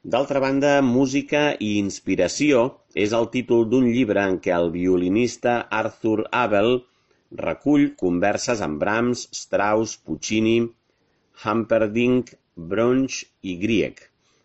D'altra banda, Música i inspiració és el títol d'un llibre en què el violinista Arthur Abel recull converses amb Brahms, Strauss, Puccini, Humperdinck, Brunsch i Grieg.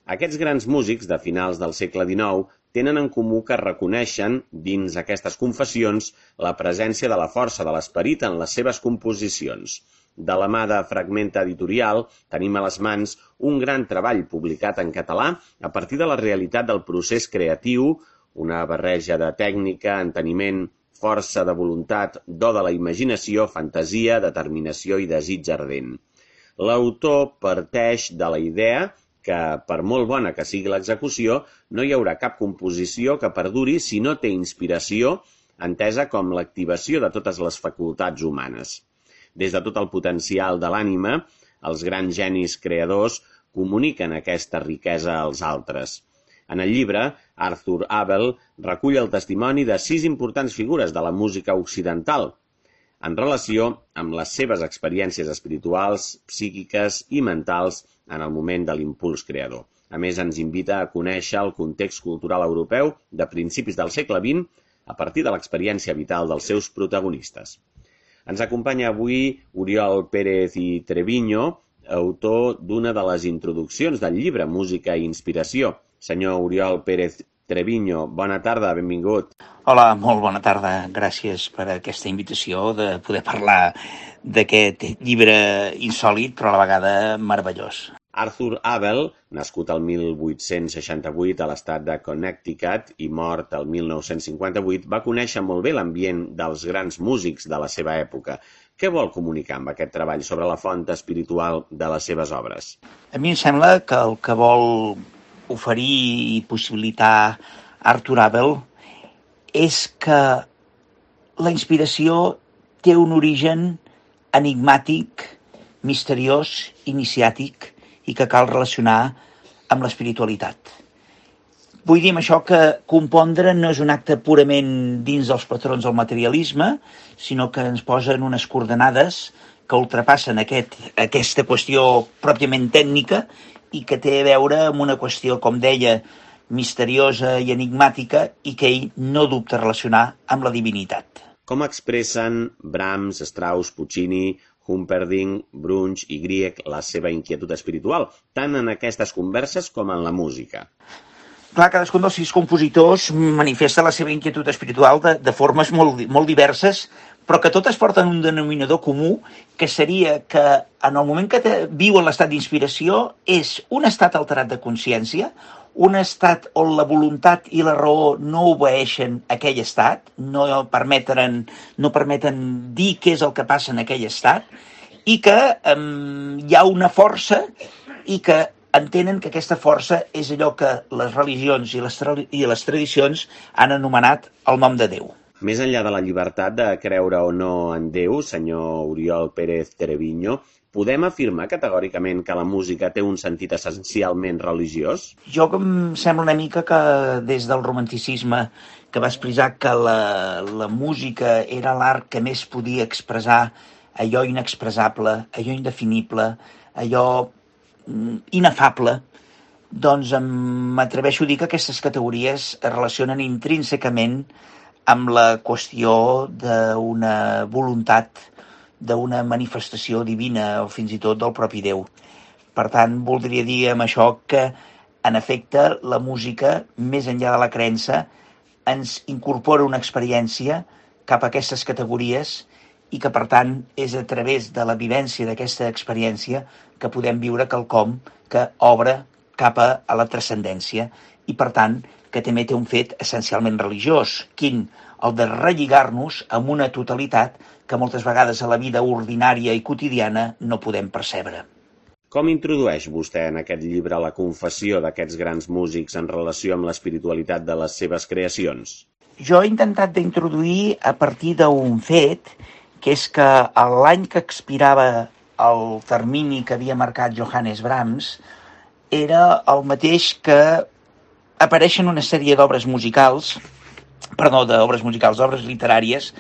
Aquests grans músics de finals del segle XIX tenen en comú que reconeixen, dins aquestes confessions, la presència de la força de l'esperit en les seves composicions. De la mà de Fragmenta Editorial tenim a les mans un gran treball publicat en català a partir de la realitat del procés creatiu, una barreja de tècnica, enteniment, força de voluntat, do de la imaginació, fantasia, determinació i desig ardent. L'autor parteix de la idea que, per molt bona que sigui l'execució, no hi haurà cap composició que perduri si no té inspiració, entesa com l'activació de totes les facultats humanes. Des de tot el potencial de l'ànima, els grans genis creadors comuniquen aquesta riquesa als altres. En el llibre, Arthur Abel recull el testimoni de 6 importants figures de la música occidental, en relació amb les seves experiències espirituals, psíquiques i mentals en el moment de l'impuls creador. A més, ens invita a conèixer el context cultural europeu de principis del segle XX a partir de l'experiència vital dels seus protagonistes. Ens acompanya avui Oriol Pérez i Treviño, autor d'una de les introduccions del llibre Música i inspiració. Senyor Oriol Pérez Treviño, bona tarda, benvingut. Hola, molt bona tarda. Gràcies per aquesta invitació de poder parlar d'aquest llibre insòlit, però a la vegada meravellós. Arthur Abel, nascut el 1868 a l'estat de Connecticut i mort el 1958, va conèixer molt bé l'ambient dels grans músics de la seva època. Què vol comunicar amb aquest treball sobre la font espiritual de les seves obres? A mi em sembla que el que vol oferir i possibilitar Arthur Abel és que la inspiració té un origen enigmàtic, misteriós, iniciàtic i que cal relacionar amb l'espiritualitat. Vull dir amb això que compondre no és un acte purament dins dels patrons del materialisme, sinó que ens posen unes coordenades que ultrapassen aquesta qüestió pròpiament tècnica i que té a veure amb una qüestió, com deia, misteriosa i enigmàtica i que ell no dubta relacionar amb la divinitat. Com expressen Brahms, Strauss, Puccini, Humperdinck, Brunsch i Grieg la seva inquietud espiritual, tant en aquestes converses com en la música? Clar, cadascun dels 6 compositors manifesta la seva inquietud espiritual de formes molt diverses, però que totes porten un denominador comú, que seria que en el moment que viuen l'estat d'inspiració és un estat alterat de consciència, un estat on la voluntat i la raó no obeeixen aquell estat, no permeten dir què és el que passa en aquell estat, i que hi ha una força i que entenen que aquesta força és allò que les religions i les tradicions han anomenat el nom de Déu. Més enllà de la llibertat de creure o no en Déu, senyor Oriol Pérez Treviño, podem afirmar categòricament que la música té un sentit essencialment religiós? Jo em sembla una mica que des del romanticisme, que va expressar que la música era l'art que més podia expressar allò inexpressable, allò indefinible, allò inefable, doncs m'atreveixo a dir que aquestes categories es relacionen intrínsecament amb la qüestió d'una voluntat, d'una manifestació divina o fins i tot del propi Déu. Per tant, voldria dir amb això que, en efecte, la música, més enllà de la creença, ens incorpora una experiència cap a aquestes categories i que, per tant, és a través de la vivència d'aquesta experiència que podem viure quelcom que obre cap a la transcendència i, per tant, que també té un fet essencialment religiós, quin? El de relligar-nos amb una totalitat que moltes vegades a la vida ordinària i quotidiana no podem percebre. Com introdueix vostè en aquest llibre la confessió d'aquests grans músics en relació amb l'espiritualitat de les seves creacions? Jo he intentat d'introduir a partir d'un fet, que és que l'any que expirava el termini que havia marcat Johannes Brahms era el mateix que apareixen una sèrie d'obres literàries,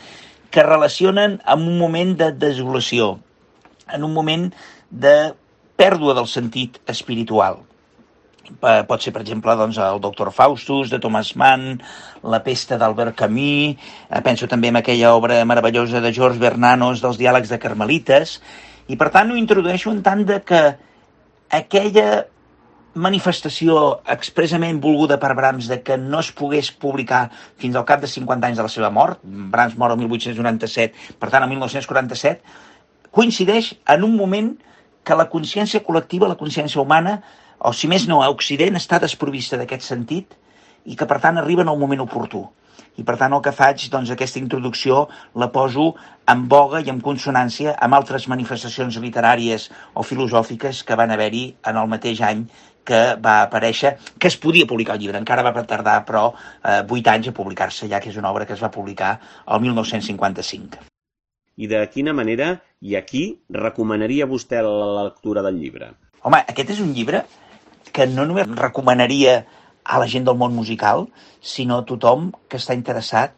que relacionen amb un moment de desolació, en un moment de pèrdua del sentit espiritual. Pot ser, per exemple, doncs, el Doctor Faustus, de Thomas Mann, La pesta d'Albert Camus, penso també en aquella obra meravellosa de George Bernanos dels diàlegs de Carmelites, i per tant ho introdueixo en tant de que aquella manifestació expressament volguda per Brahms de que no es pogués publicar fins al cap de 50 anys de la seva mort, Brahms mor el 1897, per tant el 1947, coincideix en un moment que la consciència col·lectiva, la consciència humana, o si més no, a Occident està desprovista d'aquest sentit i que per tant arriba en el moment oportú. I per tant el que faig, doncs aquesta introducció la poso en boga i en consonància amb altres manifestacions literàries o filosòfiques que van haver-hi en el mateix any que va aparèixer, que es podia publicar el llibre. Encara va tardar, però, 8 anys a publicar-se, ja que és una obra que es va publicar el 1955. I de quina manera i a qui recomanaria vostè la lectura del llibre? Home, aquest és un llibre que no només recomanaria a la gent del món musical, sinó a tothom que està interessat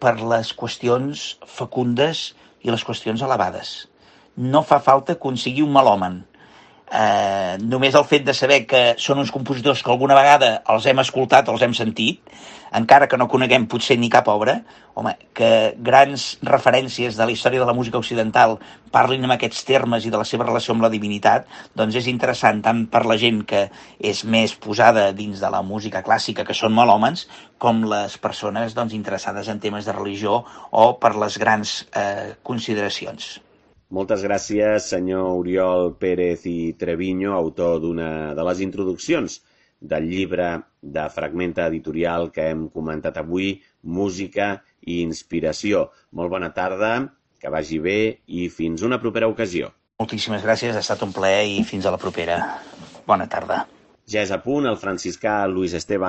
per les qüestions fecundes i les qüestions elevades. No fa falta que un sigui un melòman. Només el fet de saber que són uns compositors que alguna vegada els hem escoltat o els hem sentit, encara que no coneguem potser ni cap obra, home, que grans referències de la història de la música occidental parlin en aquests termes i de la seva relació amb la divinitat, doncs és interessant tant per la gent que és més posada dins de la música clàssica, que són melòmans, com les persones doncs, interessades en temes de religió o per les grans consideracions. Moltes gràcies, senyor Oriol Pérez i Treviño, autor d'una de les introduccions del llibre de Fragmenta Editorial que hem comentat avui, Música i Inspiració. Molt bona tarda, que vagi bé i fins una propera ocasió. Moltíssimes gràcies, ha estat un plaer i fins a la propera. Bona tarda. Ja és a punt, el franciscà Luis Esteban